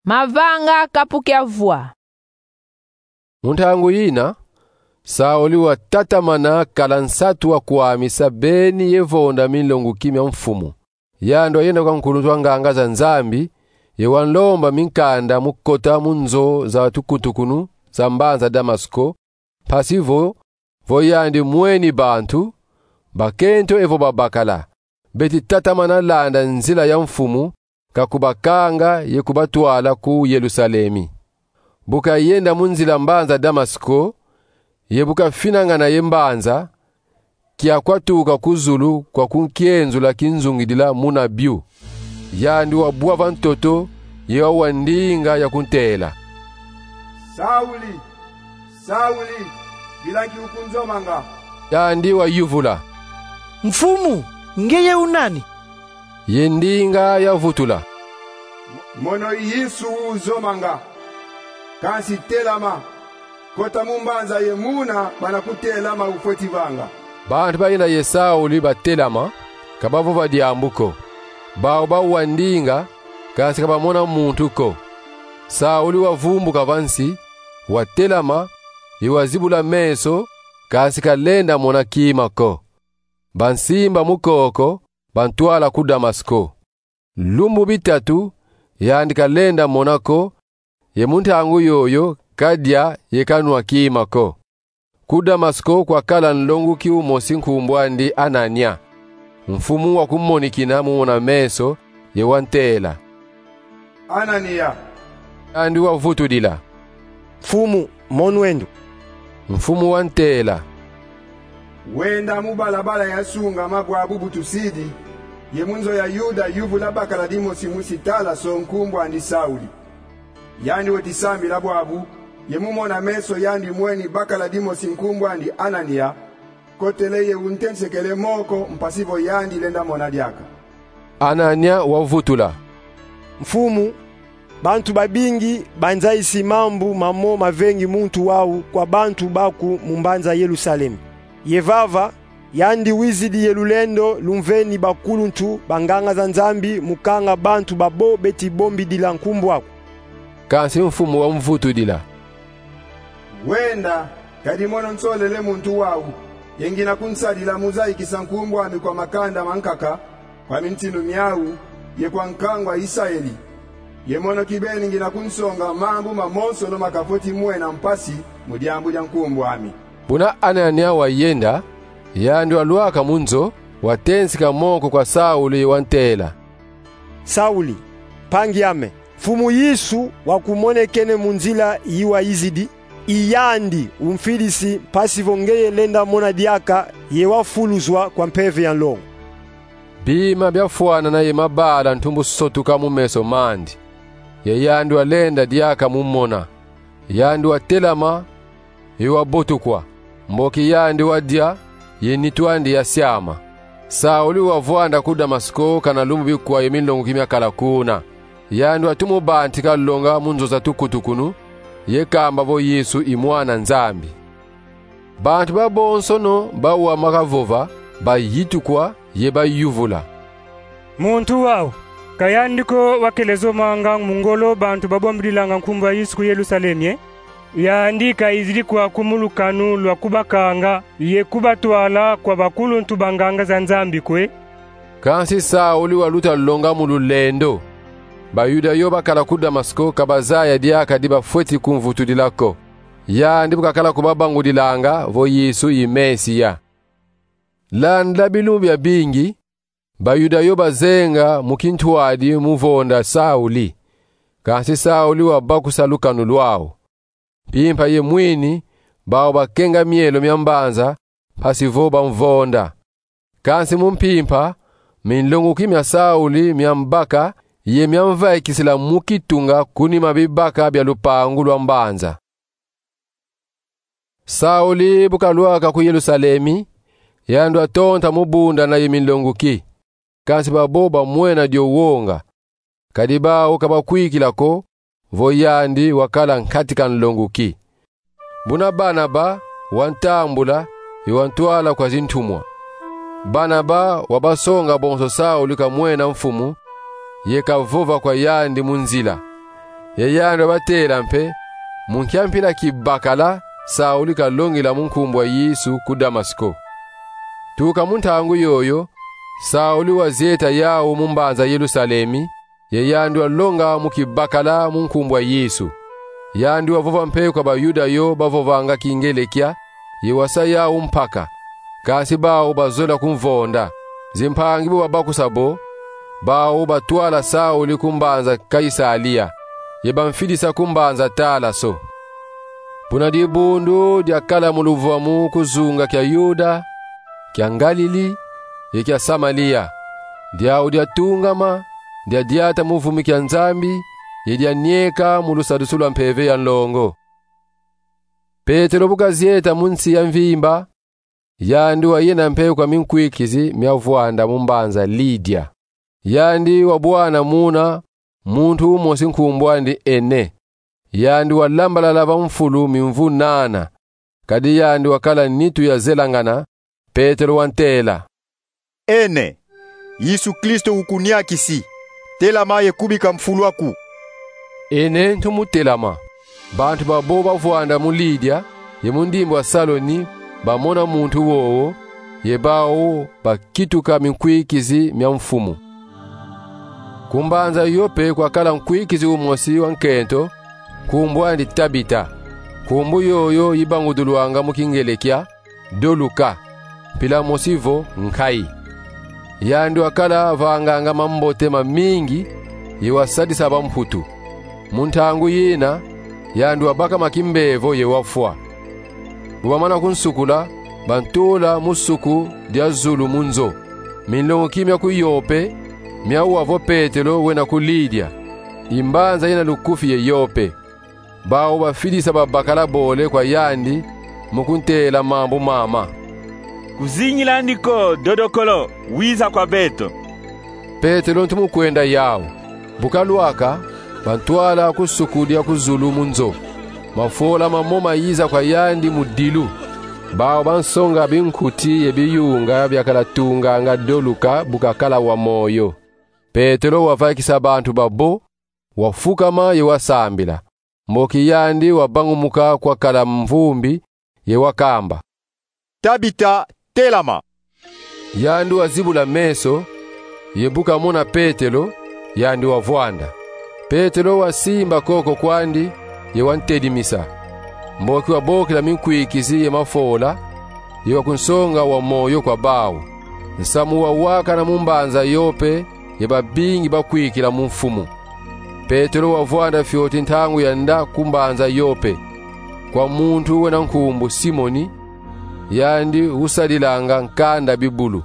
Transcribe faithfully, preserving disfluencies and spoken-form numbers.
Mavanga kapu kia vwa. Mu ntangu yina, Sauli watatamana kala nsatu wa kwamisa beni ye vonda minlonguki mia mfumu. Yandi wayenda kwa nkuluntu wa nganga za Nzambi, ye wanlomba minkanda mu kota mu nzo za tukutukunu za mbanza Damasko, mpasi vo, vo yandi mweni bantu, bakento evo babakala, beti tatamana landa nzila ya mfumu, ka kubakanga ye kubatwala ku Yerusalemi. Bu kayenda mu nzila mbanza Damasko, ye bu kafinangana ye mbanza, kiaku kwatuka ku zulu kwaku nkienzula kinzungidila muna biu. Yandi wabwa va ntoto, ye wawandinga ya kuntela: "Sauli, Sauli, bila nki ukunzomanga?" Yandi wayuvula: "Mfumu, ngeye u nani?" Ye ndinga yavutula: "Mono i Yesu uzomanga. Kansi telama, kota mu mbanza ye muna bana kutela ma ufweti vanga." Bantu bayina ye Sauli batelama, ka bavova diambu ko. Bau bawandinga, kansi ka bamona muntu ko. Sauli wavumbuka va nsi, watelama, ye wazibula meso, kansi kalenda mona kima ko. Bansimba mu koko, bantwala ku Damasko. Lumbu bitatu, yandi kalenda mona ko, ye mu ntangu yoyo kadia ye kanwa kima ko. Ku Damasko kwakala nlonguki umosi nkumbu andi Anania. Mfumu wakumonikina mu mona meso, ye wantela: "Anania!" Yandi wavutudila: "Mfumu, monw'endo." Mfumu wantela: "Wenda mu balabala yasungama bwabu bu tusidi, ye mu nzo ya Yuda yuvula bakala dimosi musi Talaso nkumbu andi Sauli. Yandi weti sambila bwabu, ye mu mona meso yandi mweni bakala dimosi nkumbu andi Anania, kotele ye untensekele moko mpasi vo yandi lenda mona diaka." Anania wavutula: "Mfumu, bantu babingi banzayisi mambu mamo mavengi muntu wau kwa bantu baku mu mbanza Yerusalemi. Ye vava, yandi wizidi ye lulendo lumveni bakuluntu ba nganga za Nzambi mu kanga bantu babo beti bombidila nkumbu aku." Kansi mfumu wamvutudila: "Wenda, kadi mono nsolele muntu wau, ye ngina kunsadila mu zayikisa nkumbu ami kwa makanda mankaka, kwa mintinu miau, ye kwa nkangu a Isaeli. Ye mono kibeni ngina kunsonga mambu mamonsono makafweti mwena mpasi mu diambu dia nkumbu ami." Buna Anania wayenda, yandi walwaka mu nzo, watensika moko kwa Sauli ye wantela: "Sauli, mpangi ame, Mfumu Yesu wakumonekene mu nzila yi wayizidi, i yandi umfidisi mpasi vo ngeye lenda mona diaka ye wafuluzwa kwa mpeve ya nlongo." Bima biafwanana ye mabala ntumbu sotuka mu meso mandi, ye yandi walenda diaka mu mona. Yandi watelama, ye wabotukwa, mboki yandi wadia, ye nitu andi yasiama. Sauli wavwanda ku Damasko kana lumbu bikwa ye minlonguki miakala kuna. Yandi watumu bantika longa mu nzo za tukutukunu, ye kamba vo Yesu i Mwana Nzambi. Bantu babonsono bau makavova bayitukwa ye bayuvula: "Muntu wau, ka yandi ko wakele zomanga mu ngolo bantu babombidilanga nkumbu a Yesu ku Yerusalemi, e? Yandi kayizidi kwaku mu lukanu lwa kubakanga ye kubatwala kwa bakuluntu ba nganga za Nzambi kwe?" Kansi Sauli waluta longa mu lulendo. Bayuda yo bakala ku Damasko ka bazaya diaka di bafweti kumvutudila ko, yandi bu kakala kubabangudilanga vo Yesu i Mesia. Landa bilumbu biabingi, Bayuda yo bazenga mu kintwadi mu vonda Sauli. Kansi Sauli wabakusa lukanu lwau. Mpimpa ye mwini, bau bakenga mielo mia mbanza, mpasi vo bamvonda. Kansi mu mpimpa, minlonguki mia Sauli miambaka ye miamvaikisila mu kitunga kunima bibaka bia lupangu lwa mbanza. Sauli bu kalwaka ku Yerusalemi, yandi watonta mu bundana ye minlonguki. Kansi babo bamwena dio wonga, kadi bau ka bakwikila ko vo yandi wakala nkatika nlonguki. Buna Barnaba wantambula ye wantwala kwa zintumwa. Barnaba wabasonga bonso Sauli kamwena Mfumu, ye kavova kwa yandi mu nzila. Ye yandi wabatela mpe mu nkia mpila kibakala Sauli kalongila mu nkumbu a Yesu ku Damasiko. Tuka mu ntangu yoyo, Sauli wazieta yawu mu mbanza Yerusalemi, ye yandi walonga mu kibakala mu nkumbu a Yesu. Yandi wavova mpe kwa Bayuda yo bavovanga Kingelekia, ye wasa yawu mpaka, kansi bawu bazola kumvonda. Zimpangi bu babakusa bo, bawu batwala Sauli ku mbanza Kaisalia, ye bamfidisa ku mbanza Talaso. Buna dibundu diakala mu luvuamu ku zunga kia Yuda, kia Ngalili, ye kia Samalia, diawu diatungama, diadiata mu vumi kia Nzambi, ye dianieka mu lusadisu lwa Mpeve ya Nlongo. Petelo bu kazieta mu nsi ya mvimba, yandi wayenda mpe kwa minkwikizi mia vwanda mu mbanza Lidia. Yandi wabwana muna muntu umosi nkumbu andi Ene. Yandi walambalala va mfulu mimvu nana, kadi yandi wakala nitu ya zelangana. Petelo wantela: Ene, Yesu Kristo ukuniakisi. Telama ye kubika mfulu aku. Ene ntumu telama. Bantu babo bavwanda mu Lidia ye mu ndimbu a Saloni bamona muntu wowo, ye bawu bakituka minkwikizi mia Mfumu. Ku mbanza Yope kwakala nkwikizi umosi wa nkento, nkumbu andi Tabita. Nkumbu yoyo ibangudulwanga mu Kingelekia Doluka, mpila mosi vo nkayi. Yandi wakala vanganga mambote mamingi, ye wasadisa bamputu. Mu ntangu yina, yandi wabakama kimbevo ye wafwa. Bu bamana kunsukula, bantula mu suku dia zulu mu nzo. Minlongoki mia ku Yope miawa vo Petelo wenda ku Lidia, i mbanza yina lukufi ye Yope. Bawu bafidisa babakala bole kwa yandi mu kuntela mambu mama: Kuzingila andi ko, dodokolo, wiza kwa beto. Petelo ntumu kwenda yawu. Bu kalwaka, bantwala ku suku dia ku zulu mu nzo. Mafola mamo mayiza kwa yandi mu dilu. Bawu bansonga binkuti ye biyunga biakala tunganga Doluka bu kakala wa moyo. Petelo wavaikisa bantu babo, wafukama ye wasambila. Mboki yandi wabangumuka kwakala mvumbi, ye wakamba: Tabita, telama! Yandi wazibula meso, ye bu kamona Petelo, yandi wavwanda. Petelo wasimba koko kwandi, ye wantedimisa. Mboki wabokila minkwikizi ye mafola, ye wakunsonga wa moyo kwa bawu. Nsamu wawakana mu mbanza Yope, ye babingi bakwikila mu Mfumu. Petelo wavwanda fioti ntangu ya nda ku mbanza Yope, kwa muntu wena nkumbu Simoni, yandi usadilanga nkanda bibulu.